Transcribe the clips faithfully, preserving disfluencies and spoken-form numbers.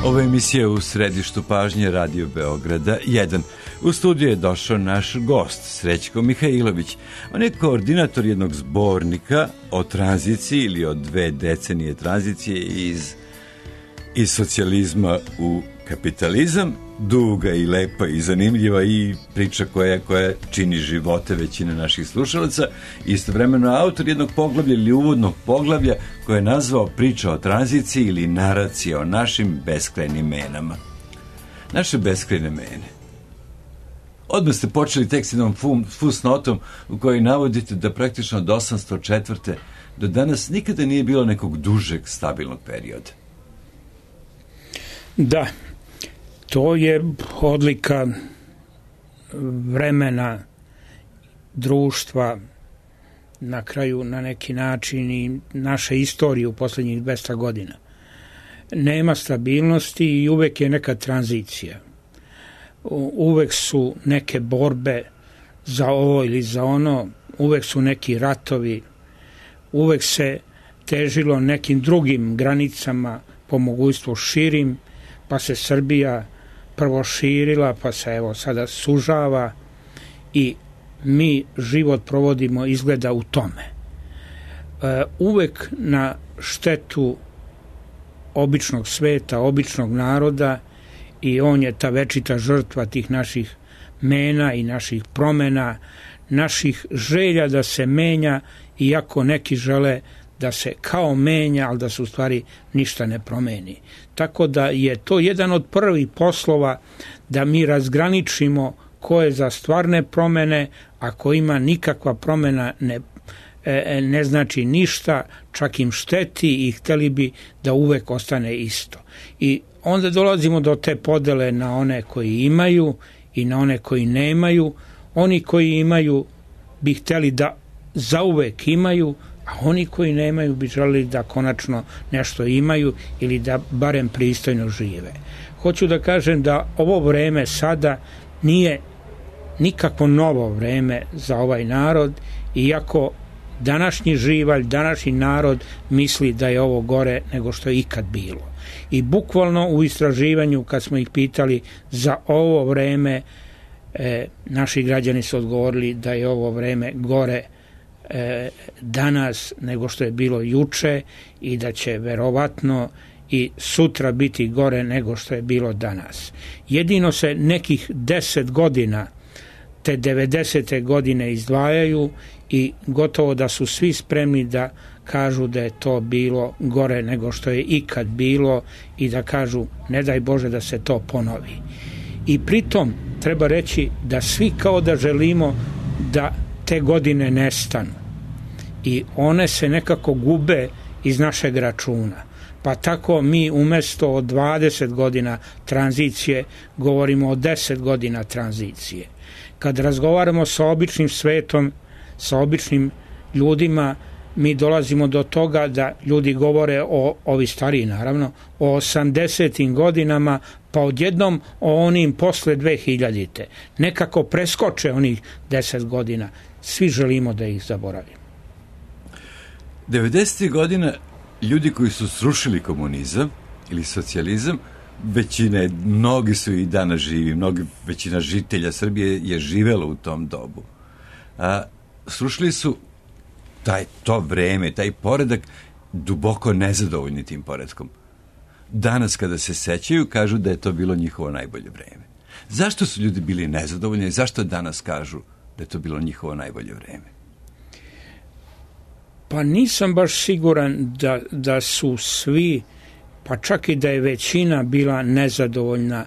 Ovo je emisija U središtu pažnje Radio Beograda jedan. U studiju je došao naš gost, Srećko Mihajlović. On je koordinator jednog zbornika o tranziciji ili o dve decenije tranzicije iz, iz socijalizma u kapitalizam. Duga i lepa i zanimljiva i priča koja, koja čini živote većine naših slušalaca. Istovremeno autor jednog poglavlja ili uvodnog poglavlja koje je nazvao Priča o tranziciji ili naracija o našim beskrajnim menama. Naše beskrajne mene. Odmah ste počeli tek s jednom fusnotom u kojoj navodite da praktično od osamsto četvrte do danas nikada nije bilo nekog dužeg stabilnog perioda. Da, to je odlika vremena, društva, na kraju na neki način i naše istorije u posljednjih dvesta godina. Nema stabilnosti i uvek je neka tranzicija. Uvek su neke borbe za ovo ili za ono, uvek su neki ratovi, uvek se težilo nekim drugim granicama, po mogućstvu širim, pa se Srbija prvo širila, pa se evo sada sužava i mi život provodimo izgleda u tome. E, uvek na štetu običnog sveta, običnog naroda, i on je ta večita žrtva tih naših mena i naših promena, naših želja da se menja, iako neki žele da se kao menja, ali da se u stvari ništa ne promeni. Tako da je to jedan od prvih poslova da mi razgraničimo ko je za stvarne promene, a ko ima nikakva promena ne, ne znači ništa, čak im šteti i hteli bi da uvek ostane isto. I onda dolazimo do te podele na one koji imaju i na one koji nemaju. Oni koji imaju bi hteli da zauvek imaju, a oni koji nemaju bi želeli da konačno nešto imaju ili da barem pristojno žive. Hoću da kažem da ovo vreme sada nije nikakvo novo vreme za ovaj narod, iako današnji živalj, današnji narod misli da je ovo gore nego što je ikad bilo. I bukvalno u istraživanju kad smo ih pitali za ovo vreme, e, naši građani su odgovorili da je ovo vreme gore e, danas nego što je bilo juče i da će verovatno i sutra biti gore nego što je bilo danas. Jedino se nekih deset godina, te devedesete godine izdvajaju i gotovo da su svi spremni da kažu da je to bilo gore nego što je ikad bilo i da kažu ne daj Bože da se to ponovi. I pritom treba reći da svi kao da želimo da te godine nestanu i one se nekako gube iz našeg računa. Pa tako mi umesto od dvadeset godina tranzicije govorimo o deset godina tranzicije. Kad razgovaramo sa običnim svetom, sa običnim ljudima, mi dolazimo do toga da ljudi govore o, ovi stariji naravno, o osamdesetim godinama, pa odjednom o onim posle dve hiljadite. Nekako preskoče onih deset godina. Svi želimo da ih zaboravimo. devedesetih godina ljudi koji su srušili komunizam ili socijalizam, većina, mnogi su i danas živi, mnogi, većina žitelja Srbije je živela u tom dobu. A, srušili su taj, to vreme, taj poredak, duboko nezadovoljni tim poredkom. Danas kada se sećaju, kažu da je to bilo njihovo najbolje vreme. Zašto su ljudi bili nezadovoljni i zašto danas kažu da je to bilo njihovo najbolje vreme? Pa nisam baš siguran da, da su svi, pa čak i da je većina bila nezadovoljna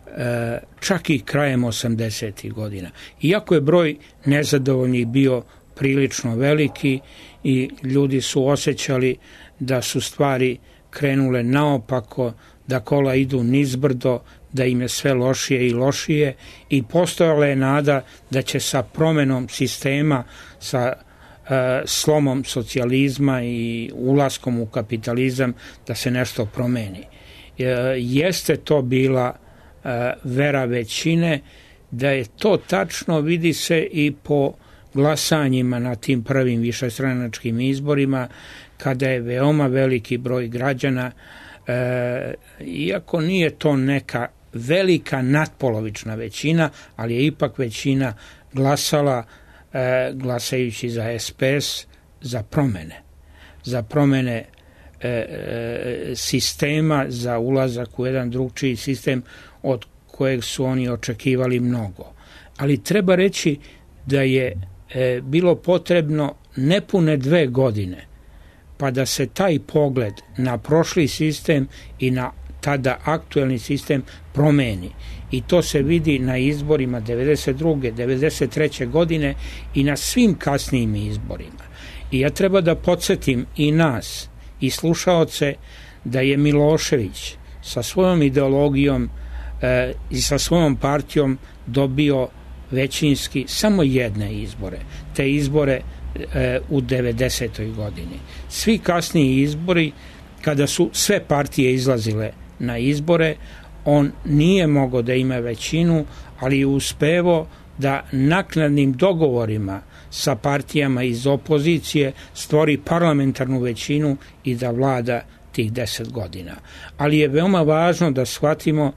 e, čak i krajem osamdesetih godina. Iako je broj nezadovoljnih bio prilično veliki i ljudi su osjećali da su stvari krenule naopako, da kola idu nizbrdo, da im je sve lošije i lošije i postojala je nada da će sa promenom sistema, sa e, slomom socijalizma i ulaskom u kapitalizam da se nešto promeni. E, jeste to bila e, vera većine, da je to tačno vidi se i po glasanjima na tim prvim višestranačkim izborima, kada je veoma veliki broj građana E, iako nije to neka velika natpolovična većina, ali je ipak većina glasala e, glasajući za S P S, za promene. Za promene e, e, sistema, za ulazak u jedan drugčiji sistem od kojeg su oni očekivali mnogo. Ali treba reći da je e, bilo potrebno nepune dve godine pa da se taj pogled na prošli sistem i na tada aktuelni sistem promeni. I to se vidi na izborima devedeset druge. devedeset treće godine i na svim kasnijim izborima. I ja treba da podsjetim i nas i slušaoce da je Milošević sa svojom ideologijom e, i sa svojom partijom dobio većinski samo jedne izbore. Te izbore e, u devedesetoj godini. Svi kasniji izbori, kada su sve partije izlazile na izbore, on nije mogao da ima većinu, ali je uspevo da naknadnim dogovorima sa partijama iz opozicije stvori parlamentarnu većinu i da vlada tih deset godina. Ali je veoma važno da shvatimo,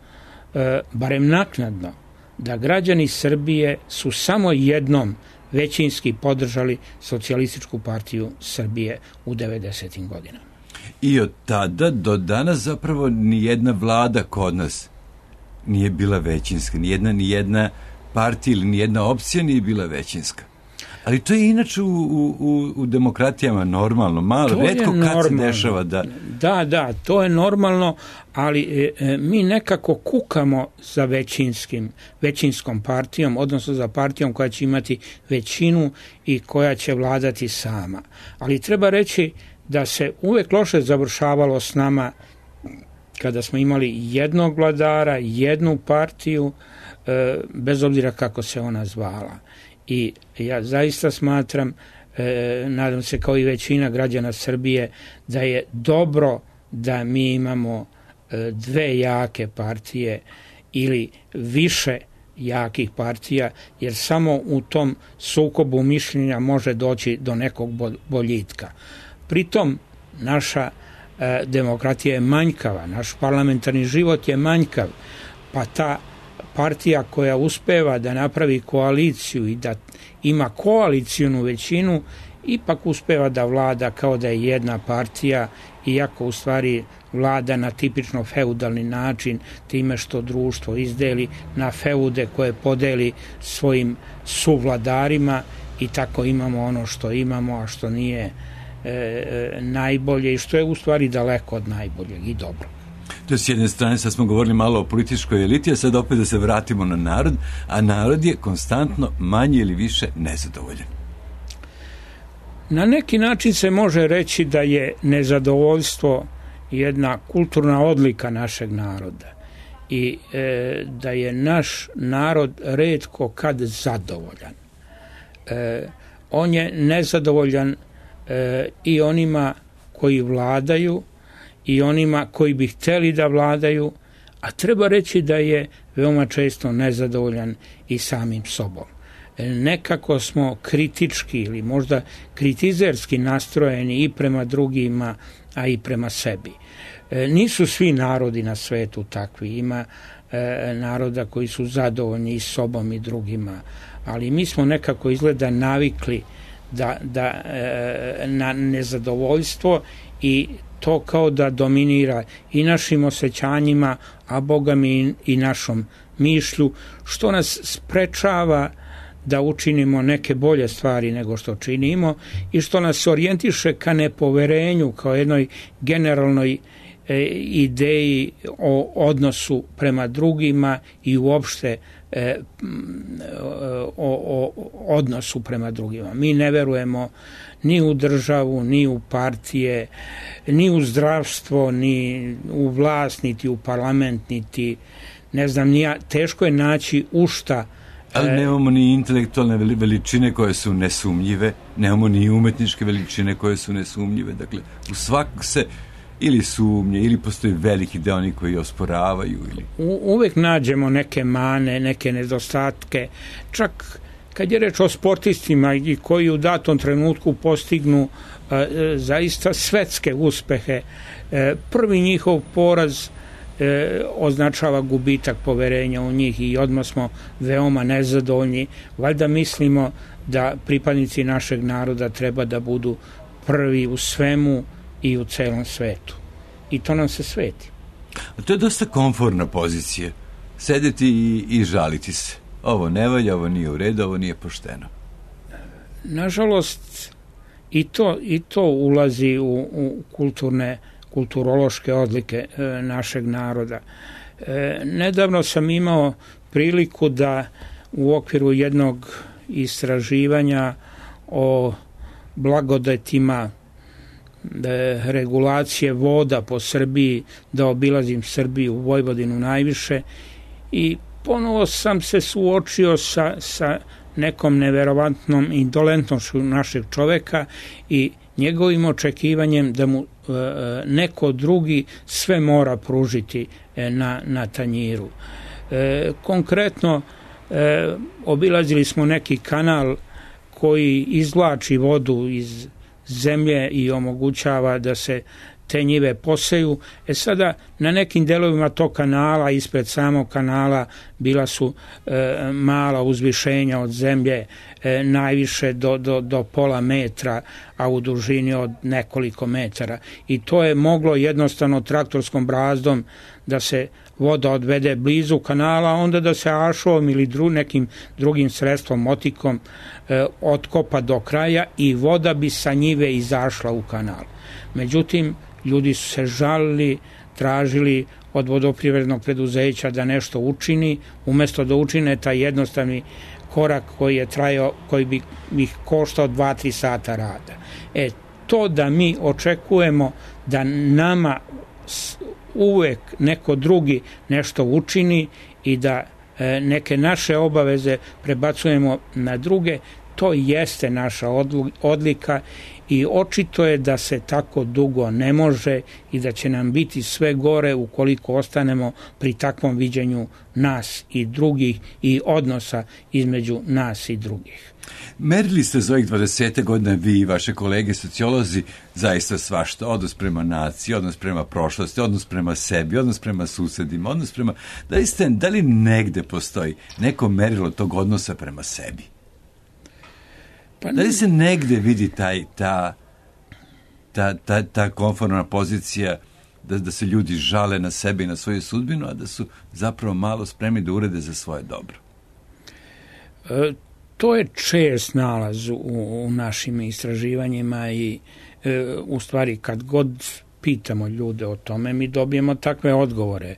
e, barem naknadno, da građani Srbije su samo jednom većinski podržali Socijalističku partiju Srbije u devedesetim godinama. I od tada do danas zapravo nijedna vlada kod nas nije bila većinska, nijedna, nijedna partija ili nijedna opcija nije bila većinska. Ali to je inače u, u, u demokratijama normalno, malo, to retko kad se dešava da... Da, da, to je normalno, ali e, mi nekako kukamo za većinskim, većinskom partijom, odnosno za partijom koja će imati većinu i koja će vladati sama. Ali treba reći da se uvek loše završavalo s nama kada smo imali jednog vladara, jednu partiju, e, bez obzira kako se ona zvala. I ja zaista smatram, e, nadam se kao i većina građana Srbije, da je dobro da mi imamo e, dve jake partije ili više jakih partija, jer samo u tom sukobu mišljenja može doći do nekog boljitka. Pritom naša e, demokratija je manjkava, naš parlamentarni život je manjkav, pa ta partija koja uspeva da napravi koaliciju i da ima koalicijnu većinu, ipak uspeva da vlada kao da je jedna partija, iako u stvari vlada na tipično feudalni način, time što društvo izdeli na feude koje podeli svojim suvladarima i tako imamo ono što imamo, a što nije e, najbolje i što je u stvari daleko od najboljeg i dobro. To je s jedne strane, sad smo govorili malo o političkoj eliti, a sad opet da se vratimo na narod, a narod je konstantno manje ili više nezadovoljan. Na neki način se može reći da je nezadovoljstvo jedna kulturna odlika našeg naroda i e, da je naš narod retko kad zadovoljan. E, on je nezadovoljan e, i onima koji vladaju i onima koji bi hteli da vladaju, a treba reći da je veoma često nezadovoljan i samim sobom. Nekako smo kritički ili možda kritizerski nastrojeni i prema drugima, a i prema sebi. Nisu svi narodi na svetu takvi, ima naroda koji su zadovoljni i sobom i drugima, ali mi smo nekako izgleda navikli da, da, na nezadovoljstvo i to kao da dominira i našim osjećanjima, a Boga mi i našom mišlju, što nas sprečava da učinimo neke bolje stvari nego što činimo i što nas orijentiše ka nepoverenju, kao jednoj generalnoj e, ideji o odnosu prema drugima i uopšte e, o, o odnosu prema drugima. Mi ne verujemo ni u državu, ni u partije, ni u zdravstvo, ni u vlast, niti u parlament, niti ne znam, nija, teško je naći u šta. Ali nemamo ni intelektualne veličine koje su nesumnjive, nemamo ni umetničke veličine koje su nesumnjive. Dakle, u svakog se ili sumnje, ili postoji veliki deo oni koji osporavaju. Ili... U, uvek nađemo neke mane, neke nedostatke, čak kad je reč o sportistima i koji u datom trenutku postignu e, zaista svetske uspehe, e, prvi njihov poraz e, označava gubitak poverenja u njih i odmah smo veoma nezadovoljni. Valjda mislimo da pripadnici našeg naroda treba da budu prvi u svemu i u celom svetu. I to nam se sveti. A to je dosta komforna pozicija. Sedeti i, i žaliti se. Ovo ne valja, ovo nije u redu, ovo nije pošteno. Nažalost, i to, i to ulazi u, u kulturne, kulturološke odlike e, našeg naroda. E, nedavno sam imao priliku da u okviru jednog istraživanja o blagodetima de, regulacije voda po Srbiji, da obilazim Srbiju, Vojvodinu najviše, i ponovo sam se suočio sa, sa nekom neverovatnom indolentnošću našeg čoveka i njegovim očekivanjem da mu e, neko drugi sve mora pružiti e, na, na tanjiru. E, konkretno, e, obilazili smo neki kanal koji izvlači vodu iz zemlje i omogućava da se te njive poseju. E sada, na nekim delovima tog kanala, ispred samog kanala, bila su e, mala uzvišenja od zemlje, e, najviše do, do, do pola metra, a u dužini od nekoliko metara. I to je moglo jednostavno traktorskom brazdom da se voda odvede blizu kanala, onda da se ašovom ili dru, nekim drugim sredstvom, motikom, e, otkopa do kraja i voda bi sa njive izašla u kanal. Međutim, ljudi su se žalili, tražili od vodoprivrednog preduzeća da nešto učini, umesto da učine taj jednostavni korak koji je trajao, koji bi ih koštao dva tri sata rada. E, to da mi očekujemo da nama uvek neko drugi nešto učini i da e, neke naše obaveze prebacujemo na druge, to jeste naša odlika i očito je da se tako dugo ne može i da će nam biti sve gore ukoliko ostanemo pri takvom viđenju nas i drugih i odnosa između nas i drugih. Merili ste za ovih dvadeset godina vi i vaše kolege sociolozi zaista svašta, odnos prema naciji, odnos prema prošlosti, odnos prema sebi, odnos prema susedima, odnos prema... Da li, ste, da li negde postoji neko merilo tog odnosa prema sebi? Pa da li se negde vidi taj, ta, ta, ta, ta konformna pozicija da, da se ljudi žale na sebe i na svoju sudbinu, a da su zapravo malo spremni da urede za svoje dobro? E, to je čest nalaz u, u našim istraživanjima i e, u stvari kad god pitamo ljude o tome, mi dobijemo takve odgovore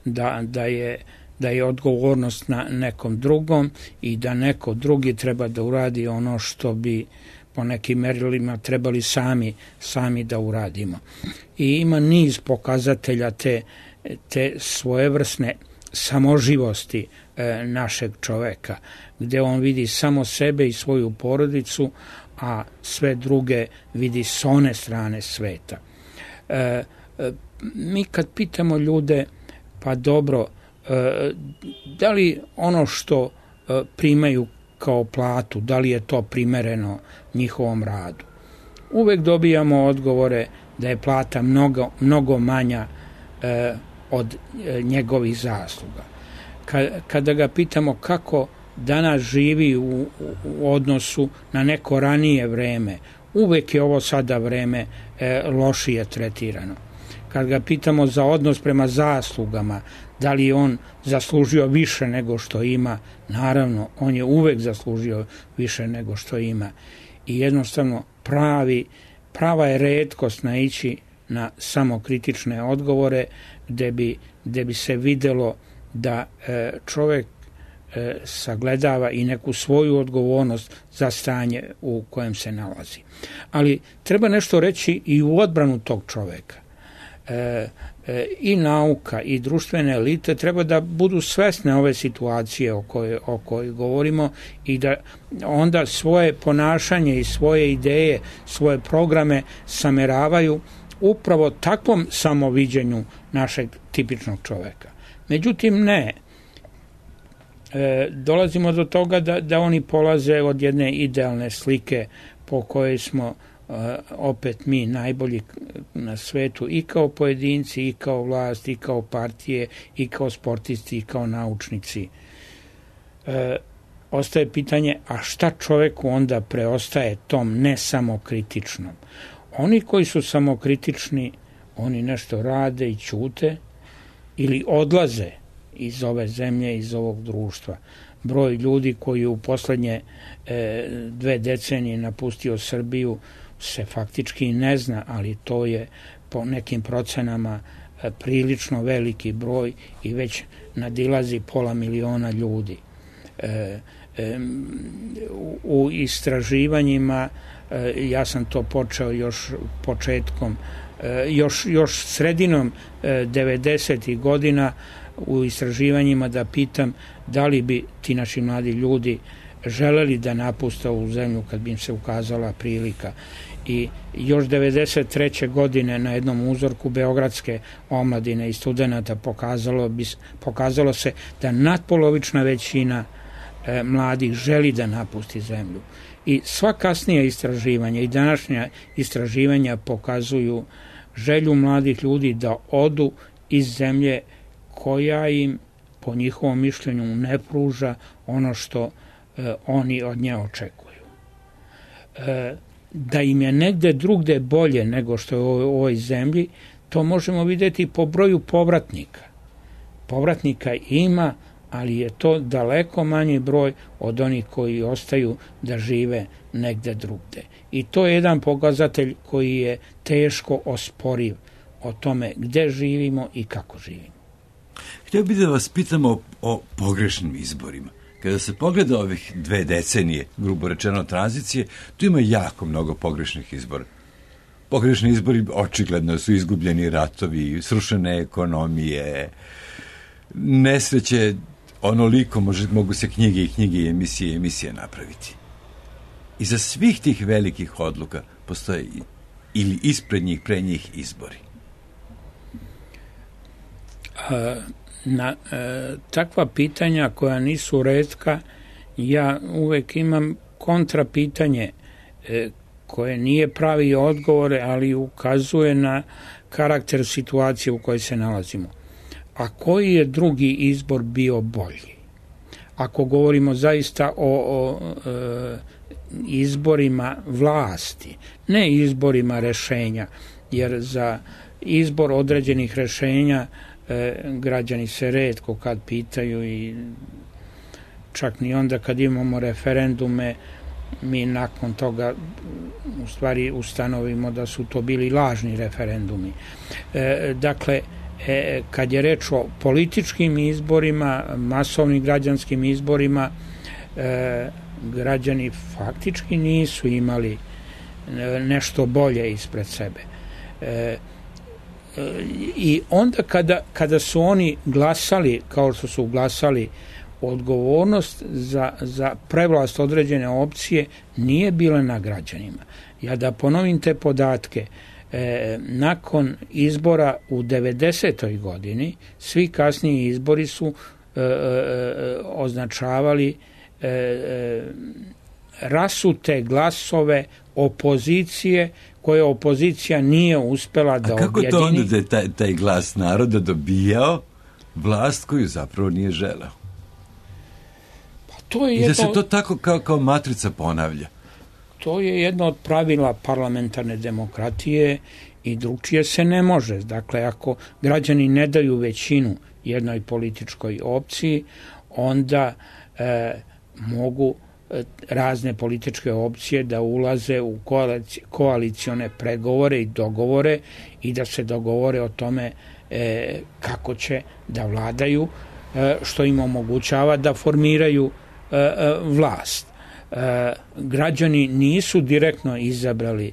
da, da je da je odgovornost na nekom drugom i da neko drugi treba da uradi ono što bi po nekim merilima trebali sami, sami da uradimo. I ima niz pokazatelja te, te svojevrsne samoživosti e, našeg čoveka, gde on vidi samo sebe i svoju porodicu, a sve druge vidi s one strane sveta. E, e, mi kad pitamo ljude, pa dobro, da li ono što primaju kao platu, da li je to primereno njihovom radu? Uvek dobijamo odgovore da je plata mnogo, mnogo manja eh, od eh, njegovih zasluga. Kada ga pitamo kako danas živi u, u odnosu na neko ranije vreme, uvek je ovo sada vreme eh, lošije tretirano. Kad ga pitamo za odnos prema zaslugama, da li je on zaslužio više nego što ima, naravno, on je uvek zaslužio više nego što ima. I jednostavno pravi, prava je retkost naići na samokritične odgovore gde bi, gde bi se videlo da e, čovek e, sagledava i neku svoju odgovornost za stanje u kojem se nalazi. Ali treba nešto reći i u odbranu tog čoveka. E, e, i nauka i društvene elite treba da budu svesne ove situacije o kojoj, o kojoj govorimo i da onda svoje ponašanje i svoje ideje, svoje programe sameravaju upravo takvom samoviđenju našeg tipičnog čoveka. Međutim, ne. e, dolazimo do toga da, da oni polaze od jedne idealne slike po kojoj smo e, opet mi najbolji na svetu i kao pojedinci, i kao vlast, i kao partije, i kao sportisti, i kao naučnici. E, ostaje pitanje, a šta čoveku onda preostaje tom nesamokritičnom? Oni koji su samokritični, oni nešto rade i ćute ili odlaze iz ove zemlje, iz ovog društva. Broj ljudi koji u poslednje e, dve decenije napustio Srbiju se faktički ne zna, ali to je po nekim procenama e, prilično veliki broj i već nadilazi pola miliona ljudi. E, e, u, u istraživanjima, e, ja sam to počeo još početkom, e, još, još sredinom e, devedesetih godina u istraživanjima da pitam da li bi ti naši mladi ljudi želeli da napuste ovu zemlju kad bi im se ukazala prilika. I još devedeset treće godine na jednom uzorku beogradske omladine i studenata pokazalo, bi, pokazalo se da natpolovična većina e, mladih želi da napusti zemlju. I sva kasnija istraživanja i današnja istraživanja pokazuju želju mladih ljudi da odu iz zemlje koja im, po njihovom mišljenju, ne pruža ono što e, oni od nje očekuju. E, da im je negde drugde bolje nego što je u ovoj zemlji, to možemo vidjeti po broju povratnika. Povratnika ima, ali je to daleko manji broj od onih koji ostaju da žive negde drugde. I to je jedan pokazatelj koji je teško osporiv o tome gde živimo i kako živimo. Htio bih da vas pitamo o, o pogrešnim izborima. Kada se pogleda ovih dve decenije, grubo rečeno tranzicije, tu ima jako mnogo pogrešnih izbora. Pogrešni izbori očigledno su izgubljeni ratovi, srušene ekonomije, nesreće, onoliko može, mogu se knjige i knjige i emisije i emisije napraviti. Iza svih tih velikih odluka postoje ili ispred njih, pre njih izbori. A, na e, takva pitanja koja nisu retka, ja uvek imam kontra pitanje e, koje nije pravi odgovore, ali ukazuje na karakter situacije u kojoj se nalazimo. A koji je drugi izbor bio bolji? Ako govorimo zaista o, o e, izborima vlasti, ne izborima rešenja, jer za izbor određenih rešenja e, građani se retko kad pitaju i čak ni onda kad imamo referendume mi nakon toga u stvari ustanovimo da su to bili lažni referendumi. E, dakle, e, kad je reč o političkim izborima, masovnim građanskim izborima, e, građani faktički nisu imali nešto bolje ispred sebe. E, I onda kada, kada su oni glasali, kao što su glasali, odgovornost za, za prevlast određene opcije nije bila na građanima. Ja da ponovim te podatke, e, nakon izbora u devedesetoj godini, svi kasniji izbori su e, e, označavali e, e, rasute glasove opozicije koje opozicija nije uspela da objedini. A kako objedini. To onda da je taj, taj glas naroda dobijao vlast koju zapravo nije želeo? Pa to je I jedno, da se to tako kao, kao matrica ponavlja. To je jedno od pravila parlamentarne demokratije i drugčije se ne može. Dakle, ako građani ne daju većinu jednoj političkoj opciji, onda e, mogu razne političke opcije da ulaze u koalicione pregovore i dogovore i da se dogovore o tome e, kako će da vladaju, e, što im omogućava da formiraju e, e, vlast. E, građani nisu direktno izabrali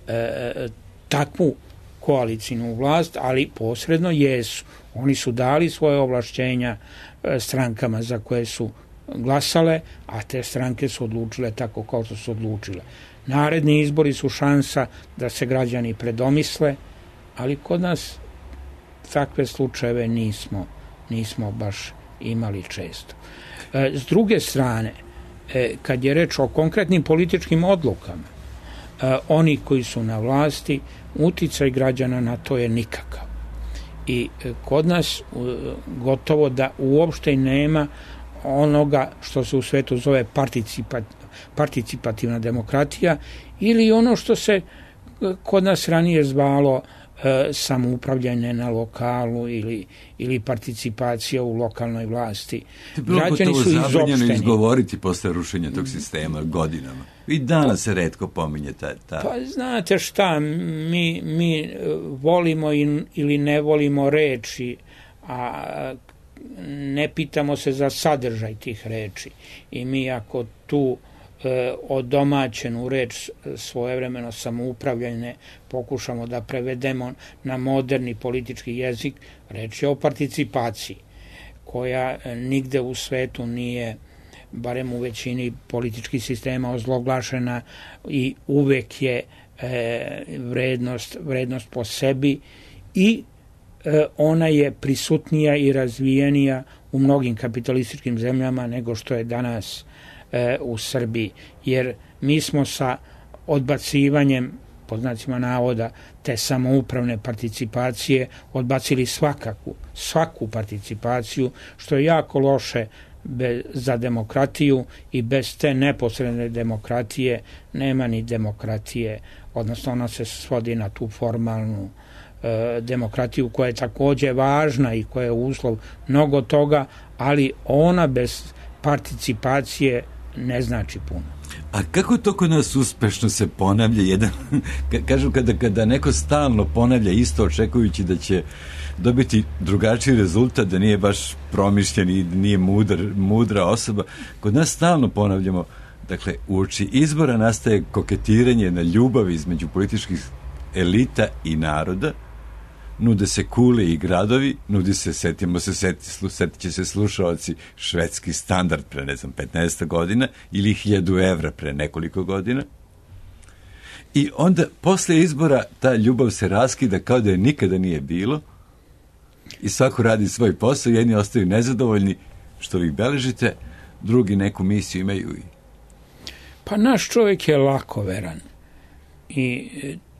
e, takvu koalicijnu vlast, ali posredno jesu. Oni su dali svoje ovlašćenja e, strankama za koje su glasale, a te stranke su odlučile tako kao što su odlučile. Naredni izbori su šansa da se građani predomisle, ali kod nas takve slučajeve nismo, nismo baš imali često. S druge strane, kad je reč o konkretnim političkim odlukama, oni koji su na vlasti, uticaj građana na to je nikakav. I kod nas gotovo da uopšte nema onoga što se u svetu zove participat, participativna demokratija ili ono što se kod nas ranije zvalo e, samoupravljanje na lokalu ili, ili participacija u lokalnoj vlasti. Građani su izopšteni. Izgovoriti posle rušenja tog sistema godinama. I danas se retko pominje ta... ta... Pa znate šta, mi, mi volimo in, ili ne volimo reči, a ne pitamo se za sadržaj tih reči. I mi ako tu e, odomaćenu reč svojevremeno samoupravljanje pokušamo da prevedemo na moderni politički jezik, reč je o participaciji, koja nigde u svetu nije, barem u većini političkih sistema, ozloglašena i uvek je e, vrednost, vrednost po sebi i e, ona je prisutnija i razvijenija u mnogim kapitalističkim zemljama nego što je danas e, u Srbiji. Jer mi smo sa odbacivanjem, pod znacima navoda, te samoupravne participacije odbacili svakaku, svaku participaciju, što je jako loše Be, za demokratiju i bez te neposredne demokratije nema ni demokratije, odnosno ona se svodi na tu formalnu e, demokratiju koja je takođe važna i koja je uslov mnogo toga, ali ona bez participacije ne znači puno. A kako to kod nas uspešno se ponavlja jedan, kažu kada, kada neko stalno ponavlja isto očekujući da će dobiti drugačiji rezultat, da nije baš promišljen i nije mudar, mudra osoba, kod nas stalno ponavljamo, dakle, uoči izbora nastaje koketiranje na ljubavi između političkih elita i naroda, nude se kule i gradovi, nudi se, setimo se, seti, setit će se slušaoci, švedski standard pre, ne znam, petnaest godina ili hiljadu evra pre nekoliko godina. I onda, posle izbora, ta ljubav se raskida kao da je nikada nije bilo i svako radi svoj posao, jedni ostaju nezadovoljni što vi beležite, drugi neku misiju imaju. Pa naš čovjek je lakoveran i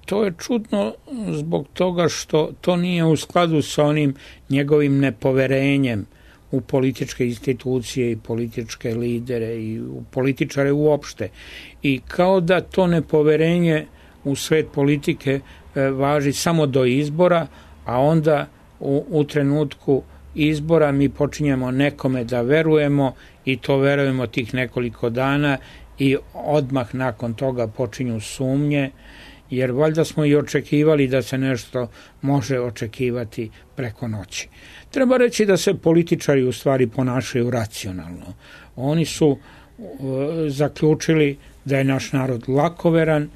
to je čudno zbog toga što to nije u skladu sa onim njegovim nepoverenjem u političke institucije i političke lidere i u političare uopšte. I kao da to nepoverenje u svet politike e, važi samo do izbora, a onda u, u trenutku izbora mi počinjemo nekome da verujemo i to verujemo tih nekoliko dana i odmah nakon toga počinju sumnje, jer valjda smo i očekivali da se nešto može očekivati preko noći. Treba reći da se političari u stvari ponašaju racionalno. Oni su uh, zaključili da je naš narod lakoveran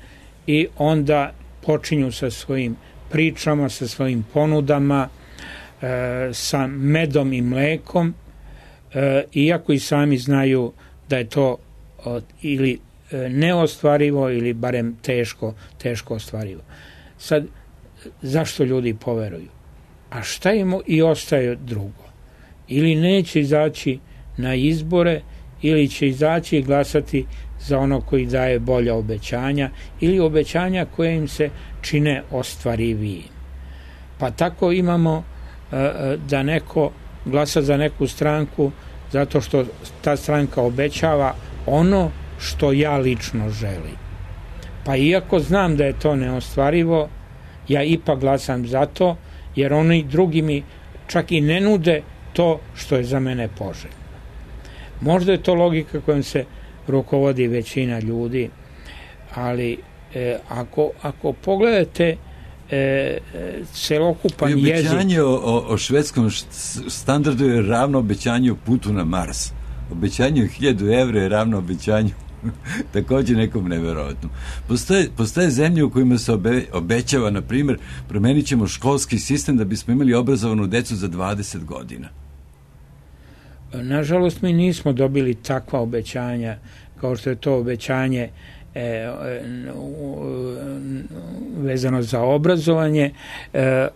i onda počinju sa svojim pričama, sa svojim ponudama, uh, sa medom i mlekom, uh, iako i sami znaju da je to uh, ili neostvarivo ili barem teško, teško ostvarivo. Sad, zašto ljudi poveruju? A šta im i ostaje drugo? Ili neće izaći na izbore, ili će izaći i glasati za ono koji daje bolja obećanja, ili obećanja koje im se čine ostvarivijim. Pa tako imamo da neko glasa za neku stranku zato što ta stranka obećava ono što ja lično želim. Pa iako znam da je to neostvarivo, ja ipak glasam za to, jer oni drugi mi čak i ne nude to što je za mene poželjno. Možda je to logika kojom se rukovodi većina ljudi, ali e, ako, ako pogledate e, celokupan jezik... Obećanje o, o, o švedskom standardu je ravno obećanju putu na Mars. Obećanje hiljadu evra je ravno obećanju također nekom neverovatnom. Postoje, postoje zemlje u kojima se obe, obećava, na primjer, promenit ćemo školski sistem da bismo imali obrazovanu decu za dvadeset godina. Nažalost, mi nismo dobili takva obećanja kao što je to obećanje e, vezano za obrazovanje, e,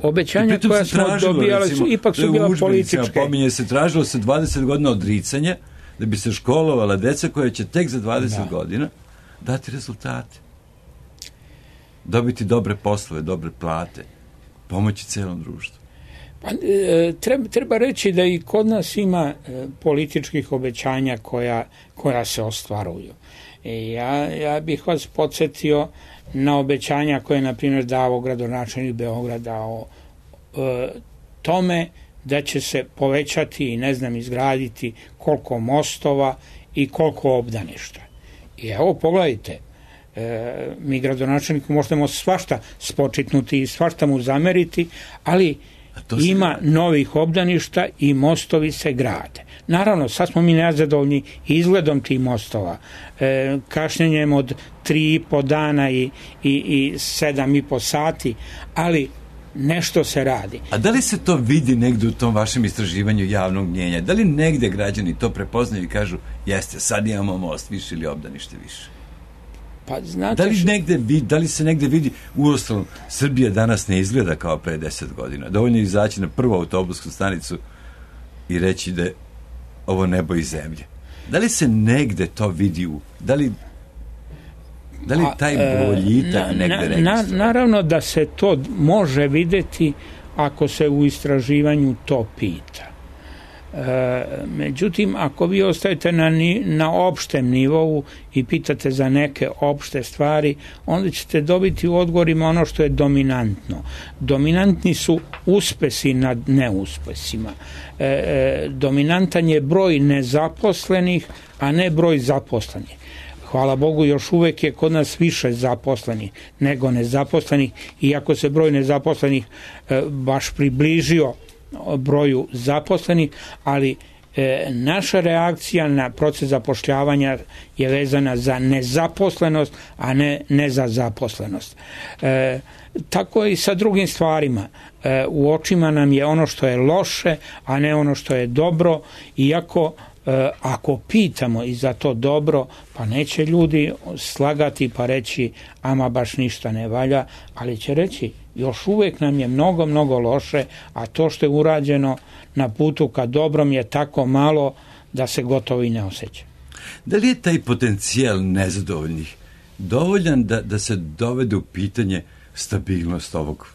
obećanja koja smo dobijali su ipak su bila političke. Pominje se, tražilo se dvadeset godina odricanja da bi se školovala deca koja će tek za dvadeset da. godina dati rezultate. Dobiti dobre poslove, dobre plate, pomoći celom društvu. Pa, e, treba, treba reći da i kod nas ima e, političkih obećanja koja, koja se ostvaruju. E, ja, ja bih vas podsjetio na obećanja koje je, na primjer, dao gradonačelnik Beograda o e, tome da će se povećati i, ne znam, izgraditi koliko mostova i koliko obdaništa. I evo, pogledajte, e, mi gradonačelniku možemo svašta spočitnuti i svašta mu zameriti, ali ima novih obdaništa i mostovi se grade. Naravno, sad smo mi nezadovoljni izgledom tih mostova, e, kašnjenjem od tri i po dana i, i, i sedam i po sati, ali nešto se radi. A da li se to vidi negde u tom vašem istraživanju javnog mnjenja? Da li negde građani to prepoznaju i kažu, jeste, sad imamo most više ili obdanište više? Pa, znate, da li, negde, da li se negde vidi, uostalom, Srbija danas ne izgleda kao pre deset godina. Dovoljno je izaći na prvu autobusku stanicu i reći da je ovo nebo i zemlje. Da li se negde to vidi u... Da li, da li taj boljitak negde na, registruje? Na, naravno da se to može videti ako se u istraživanju to pita. E, međutim, ako vi ostajete na, na opštem nivou i pitate za neke opšte stvari, onda ćete dobiti u odgovorima ono što je dominantno. Dominantni su uspesi nad neuspesima. E, e, dominantan je broj nezaposlenih, a ne broj zaposlenih. Hvala Bogu, još uvek je kod nas više zaposlenih nego nezaposlenih, iako se broj nezaposlenih e, baš približio broju zaposlenih, ali e, naša reakcija na proces zapošljavanja je vezana za nezaposlenost, a ne, ne za zaposlenost. E, tako je i sa drugim stvarima. E, u očima nam je ono što je loše, a ne ono što je dobro, iako e, ako pitamo i za to dobro, pa neće ljudi slagati pa reći ama baš ništa ne valja, ali će reći još uvijek nam je mnogo, mnogo loše, a to što je urađeno na putu ka dobrom je tako malo da se gotovo i ne osjeća. Da li je taj potencijal nezadovoljnih dovoljan da, da se dovede u pitanje stabilnost ovog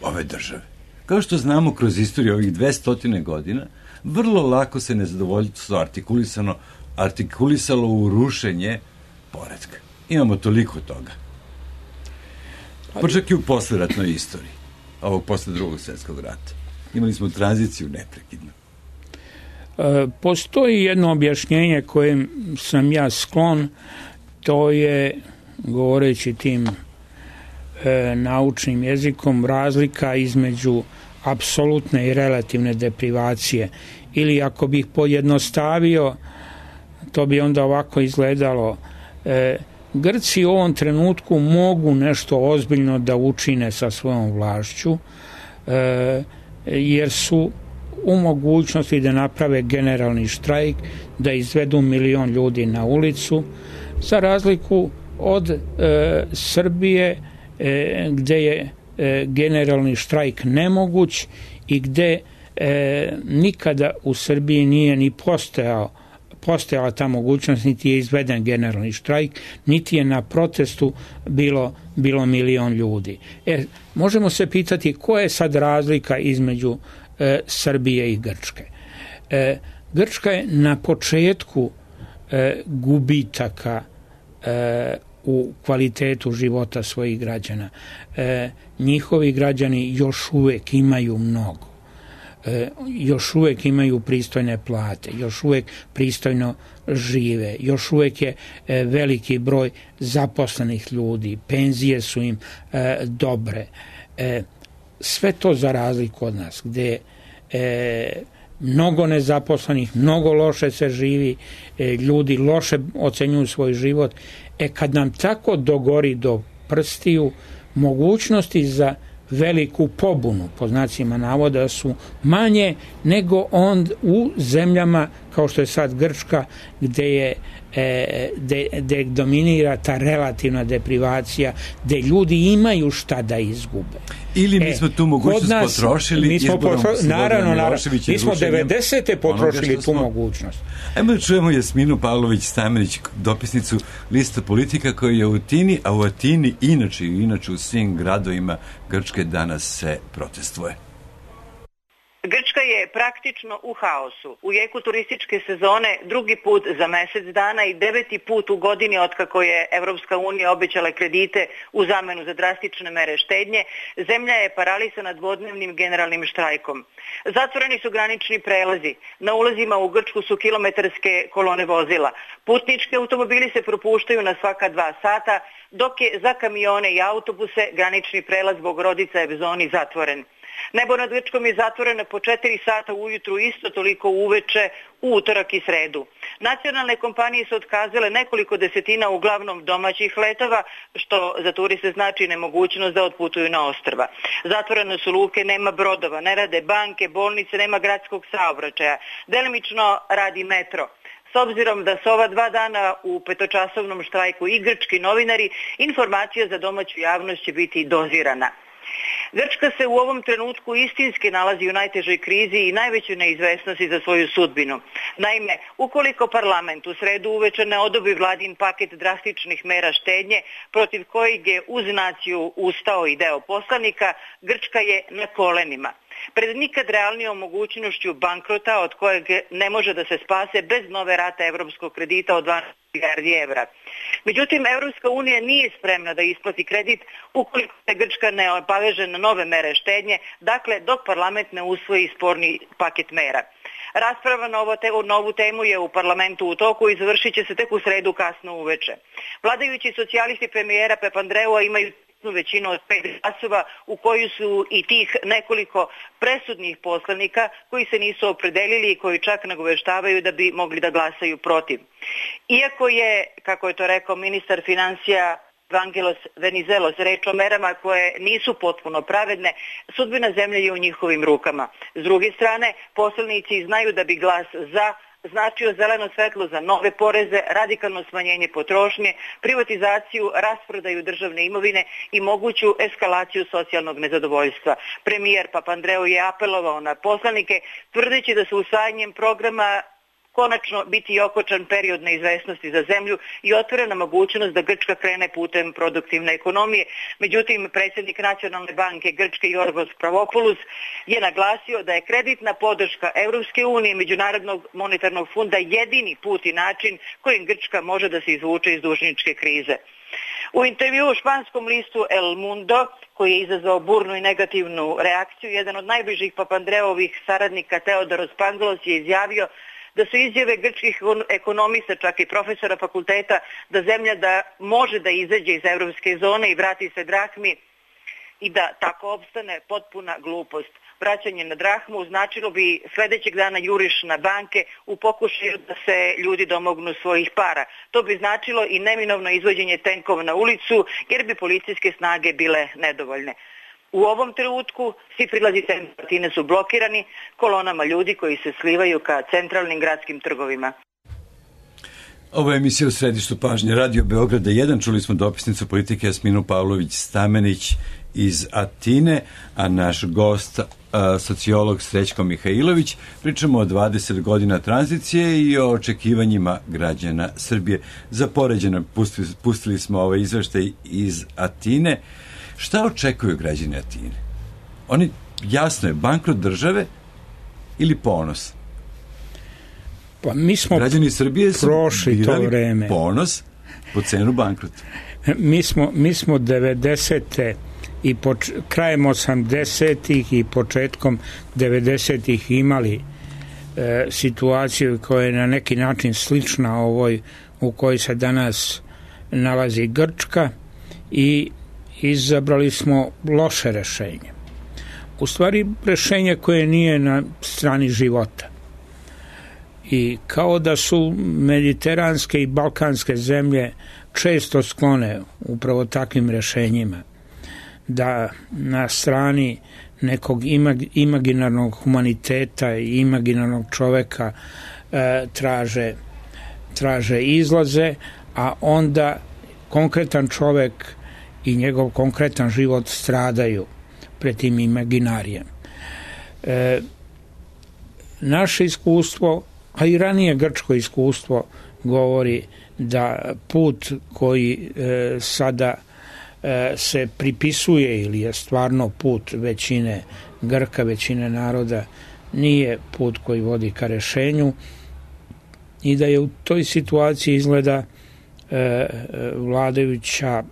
ove države? Kao što znamo kroz istoriju ovih dvesta godina, vrlo lako se nezadovoljstvo artikulisano, artikulisalo u rušenje poretka. Imamo toliko toga. Pa čak i u posleratnoj istoriji, ovog posle drugog svjetskog rata. Imali smo tranziciju neprekidno. E, postoji jedno objašnjenje kojem sam ja sklon, to je, govoreći tim e, naučnim jezikom, razlika između apsolutne i relativne deprivacije. Ili ako bih pojednostavio, to bi onda ovako izgledalo. E, Grci u ovom trenutku mogu nešto ozbiljno da učine sa svojom vlašću, e, jer su u mogućnosti da naprave generalni štrajk, da izvedu milion ljudi na ulicu, za razliku od e, Srbije, e, gde je e, generalni štrajk nemoguć i gde e, nikada u Srbiji nije ni postojao postojala ta mogućnost, niti je izveden generalni štrajk, niti je na protestu bilo, bilo milion ljudi. E, možemo se pitati koja je sad razlika između e, Srbije i Grčke. E, Grčka je na početku e, gubitaka e, u kvalitetu života svojih građana. E, njihovi građani još uvek imaju mnogo. E, još uvek imaju pristojne plate, još uvek pristojno žive, još uvek je e, veliki broj zaposlenih ljudi, penzije su im e, dobre. E, sve to za razliku od nas, gde e, mnogo nezaposlenih, mnogo loše se živi, e, ljudi loše ocenjuju svoj život. E kad nam tako dogori do prstiju, mogućnosti za veliku pobunu, po znacima navoda, su manje nego on u zemljama kao što je sad Grčka, gde je gde dominira ta relativna deprivacija, gde ljudi imaju šta da izgube. Ili mi smo tu mogućnost nas, potrošili izborom potro... Naravno, naravno. Mi smo devedesete potrošili tu smo... mogućnost. Ajmo da čujemo Jasminu Pavlović-Stamenić, dopisnicu Lista Politika, koja je u Atini, a u Atini inače i inače u svim gradovima Grčke danas se protestuje. Grčka je praktično u haosu. U jeku turističke sezone drugi put za mjesec dana i deveti put u godini otkako je Evropska unija obećala kredite u zamenu za drastične mere štednje, zemlja je paralisana dvodnevnim generalnim štrajkom. Zatvoreni su granični prelazi. Na ulazima u Grčku su kilometarske kolone vozila. Putnički automobili se propuštaju na svaka dva sata, dok je za kamione i autobuse granični prelaz Bogorodica Evzoni zatvoren. Nebo nad Grčkom je zatvoreno po četiri sata ujutru, isto toliko uveče u utorak i sredu. Nacionalne kompanije su otkazale nekoliko desetina uglavnom domaćih letova, što za turiste znači nemogućnost da otputuju na ostrva. Zatvorene su luke, nema brodova, ne rade banke, bolnice, nema gradskog saobraćaja. Delimično radi metro. S obzirom da su ova dva dana u petočasovnom štrajku i grčki novinari, informacija za domaću javnost će biti dozirana. Grčka se u ovom trenutku istinski nalazi u najtežoj krizi i najvećoj neizvesnosti za svoju sudbinu. Naime, ukoliko parlament u sredu uveče ne odobri vladin paket drastičnih mera štednje, protiv kojeg je uz naciju ustao i deo poslanika, Grčka je na kolenima. Pred nikad realnijom mogućnošću bankrota od kojeg ne može da se spase bez nove rate evropskog kredita od dvanaest milijardi evra. Međutim, Evropska unija nije spremna da isplati kredit ukoliko se Grčka ne obaveže na nove mere štednje, dakle dok parlament ne usvoji sporni paket mera. Rasprava na ovo te, novu temu je u parlamentu u toku i završit će se tek u sredu kasno uveče. Vladajući socijalisti premijera Papandreua imaju većinu od pet glasova u koju su i tih nekoliko presudnih poslanika koji se nisu opredelili i koji čak nagoveštavaju da bi mogli da glasaju protiv. Iako je, kako je to rekao ministar financija Vangelos Venizelos, reč o merama koje nisu potpuno pravedne, sudbina zemlje je u njihovim rukama. S druge strane, poslanici znaju da bi glas za značio zeleno svetlo za nove poreze, radikalno smanjenje potrošnje, privatizaciju, rasprodaju državne imovine i moguću eskalaciju socijalnog nezadovoljstva. Premijer Papandreou je apelovao na poslanike, tvrdeći da su usvajanjem programa konačno biti okočan period neizvesnosti za zemlju i otvorena mogućnost da Grčka krene putem produktivne ekonomije. Međutim, predsjednik Nacionalne banke Grčke Jorgos Pavlopoulos je naglasio da je kreditna podrška Evropske unije i Međunarodnog monetarnog fonda jedini put i način kojim Grčka može da se izvuče iz dužničke krize. U intervju u španskom listu El Mundo, koji je izazvao burnu i negativnu reakciju, jedan od najbližih Papandreovih saradnika Teodoros Pangalos je izjavio da su izjave grčkih ekonomista, čak i profesora fakulteta, da zemlja da može da izađe iz evropske zone i vrati se drahmi i da tako opstane potpuna glupost. Vraćanje na drahmu značilo bi sljedećeg dana juriš na banke u pokušaju da se ljudi domognu svojih para. To bi značilo i neminovno izvođenje tenkova na ulicu jer bi policijske snage bile nedovoljne. U ovom trenutku svi prilazi Atine su blokirani kolonama ljudi koji se slivaju ka centralnim gradskim trgovima. Ovo je emisija u središtu pažnje Radio Beograda jedan. Čuli smo dopisnicu politike Jasminu Pavlović-Stamenić iz Atine, a naš gost, a, sociolog Srećko Mihajlović. Pričamo o dvadeset godina tranzicije i o očekivanjima građana Srbije. Za poređenje pustili, pustili smo ovaj izveštaj iz Atine. Šta očekuju građani Atine? Oni, jasno je, bankrot države ili ponos? Pa mi smo građani Srbije su prošli to vreme. Ponos po cenu bankrota. Mi smo, mi smo devedesete i poč, krajem osamdesetih i početkom devedesetih imali e, situaciju koja je na neki način slična ovoj u kojoj se danas nalazi Grčka i izabrali smo loše rešenje. U stvari rešenje koje nije na strani života. I kao da su mediteranske i balkanske zemlje često sklone upravo takvim rešenjima, da na strani nekog imag, imaginarnog humaniteta i imaginarnog čoveka e, traže traže izlaze, a onda konkretan čovek i njegov konkretan život stradaju pred tim imaginarijem. E, naše iskustvo, a i ranije grčko iskustvo, govori da put koji e, sada e, se pripisuje ili je stvarno put većine Grka, većine naroda, nije put koji vodi ka rešenju i da je u toj situaciji izgleda e, vladajuća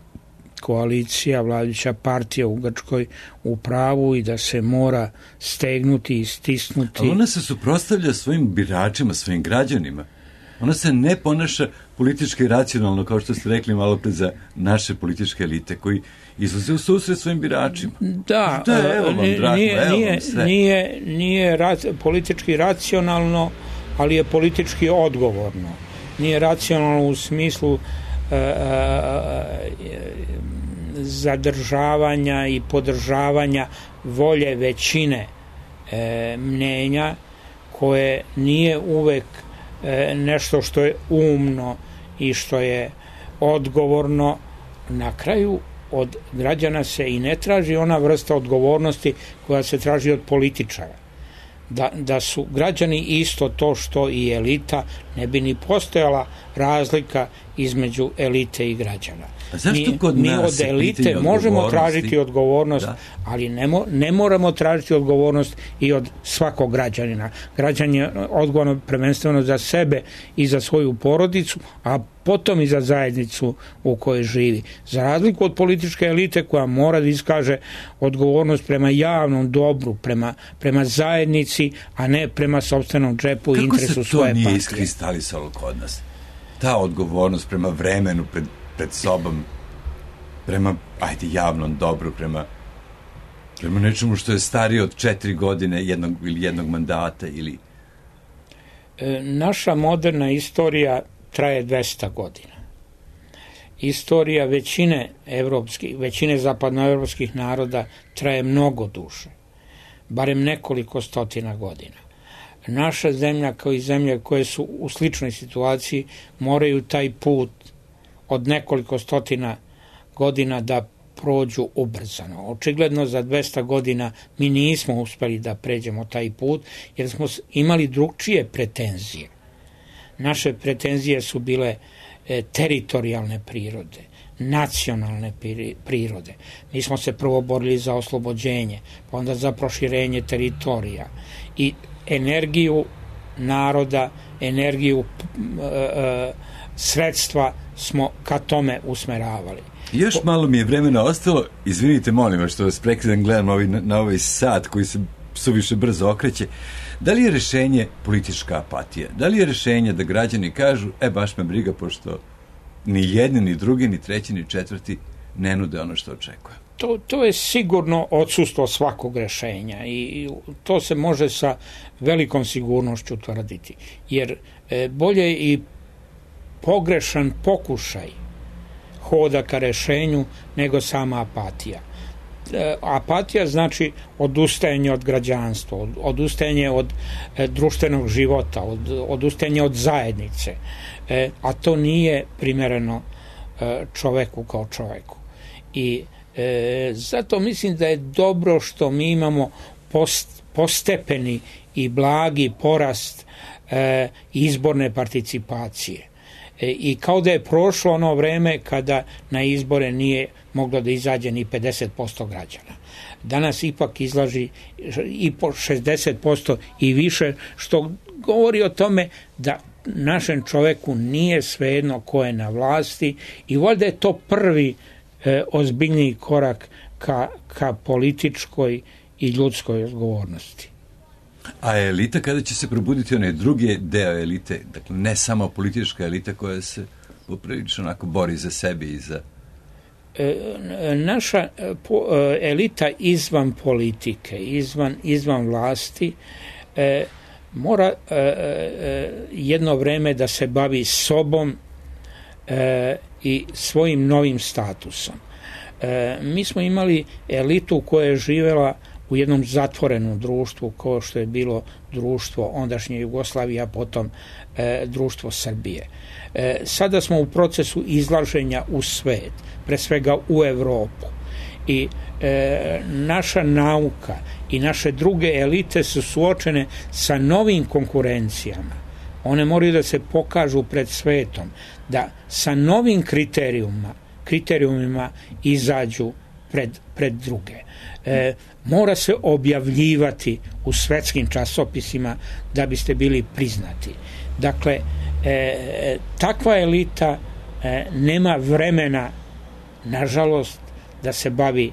koalicija, vladajuća partija u Grčkoj u pravu i da se mora stegnuti i stisnuti. Ali ona se suprotstavlja svojim biračima, svojim građanima. Ona se ne ponaša politički racionalno, kao što ste rekli malo pre za naše političke elite, koji izlaze u susret svojim biračima. Da, da je, evo vam, drago, nije, evo nije, vam sve. nije, nije rac, politički racionalno, ali je politički odgovorno. Nije racionalno u smislu e, e, zadržavanja i podržavanja volje većine e, mnenja, koje nije uvek e, nešto što je umno i što je odgovorno. Na kraju od građana se i ne traži ona vrsta odgovornosti koja se traži od političara. Da, da su građani isto to što i elita, ne bi ni postojala razlika između elite i građana. A zašto mi, kod mi nas od elite možemo tražiti odgovornost, da. ali ne, mo, ne moramo tražiti odgovornost i od svakog građanina. Građan je odgovoran prvenstveno za sebe i za svoju porodicu, a potom i za zajednicu u kojoj živi. Za razliku od političke elite koja mora da iskaže odgovornost prema javnom dobru, prema, prema zajednici, a ne prema sopstvenom džepu i interesu svoje partije. Kako se to nije iskristalisalo kod nas? Ta odgovornost prema vremenu, pred, pred sobom, prema, ajde, javnom dobru, prema, prema nečemu što je starije od četiri godine jednog ili jednog mandata ili... E, naša moderna istorija traje dvesta godina. Istorija većine evropskih, većine zapadnoevropskih naroda traje mnogo duže, barem nekoliko stotina godina. Naša zemlja, kao i zemlje koje su u sličnoj situaciji, moraju taj put od nekoliko stotina godina da prođu ubrzano. Očigledno za dvesta godina mi nismo uspeli da pređemo taj put, jer smo imali drugčije pretenzije. Naše pretenzije su bile e, teritorijalne prirode, nacionalne prirode. Mi smo se prvo borili za oslobođenje, pa onda za proširenje teritorija i energiju naroda, energiju e, e, sredstva smo ka tome usmeravali. Još malo mi je vremena ostalo, izvinite molim vas što vas prekidam, gledam ovaj, na ovaj sat koji se suviše brzo okreće. Da li je rešenje politička apatija? Da li je rešenje da građani kažu, e baš me briga, pošto ni jedni, ni drugi, ni treći, ni četvrti ne nude ono što očekuje? To, to je sigurno odsustvo svakog rešenja i to se može sa velikom sigurnošću tvrditi. Jer e, bolje i pogrešan pokušaj hoda ka rešenju nego sama apatija. E, apatija znači odustajanje od građanstva, od, odustajanje od e, društvenog života, od, odustajanje od zajednice, e, a to nije primereno e, čoveku kao čoveku. I e, zato mislim da je dobro što mi imamo post, postepeni i blagi porast e, izborne participacije. I kao da je prošlo ono vreme kada na izbore nije moglo da izađe ni pedeset posto građana. Danas ipak izlaži i po šezdeset posto i više, što govori o tome da našem čoveku nije svejedno ko je na vlasti i valjda je to prvi e, ozbiljniji korak ka, ka političkoj i ljudskoj odgovornosti. A elita kada će se probuditi onaj drugi deo elite, dakle ne samo politička elita koja se poprilično onako bori za sebe i za... E, naša po, elita izvan politike, izvan, izvan vlasti, e, mora e, e, jedno vreme da se bavi sobom e, i svojim novim statusom. E, mi smo imali elitu koja je živela u jednom zatvorenom društvu kao što je bilo društvo ondašnje Jugoslavije, a potom e, društvo Srbije. E, sada smo u procesu izlaženja u svet, pre svega u Evropu. I e, naša nauka i naše druge elite su suočene sa novim konkurencijama. One moraju da se pokažu pred svetom, da sa novim kriterijumima, kriterijumima izađu pred, pred druge. E, mora se objavljivati u svetskim časopisima da biste bili priznati. Dakle, e, takva elita e, nema vremena, nažalost, da se bavi,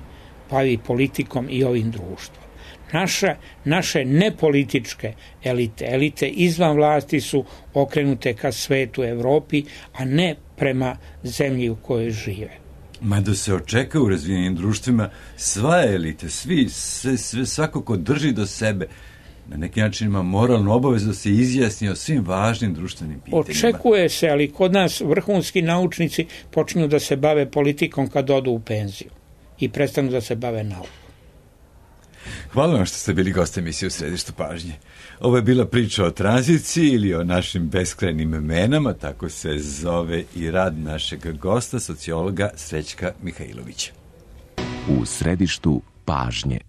bavi politikom i ovim društvom. Naša, naše nepolitičke elite, elite izvan vlasti su okrenute ka svetu Evropi, a ne prema zemlji u kojoj žive. Mada se očeka u razvijenim društvima sva elite, svi, sve, sve, svako ko drži do sebe, na neki način ima moralnu obavezu da se izjasni o svim važnim društvenim pitanjima. Očekuje se, ali kod nas vrhunski naučnici počinju da se bave politikom kad odu u penziju i prestanu da se bave naukom. Hvala vam što ste bili gost emisije U središtu pažnje. Ovo je bila priča o tranziciji ili o našim beskrajnim menama, tako se zove i rad našeg gosta, sociologa Srećka Mihajlovića. U središtu pažnje.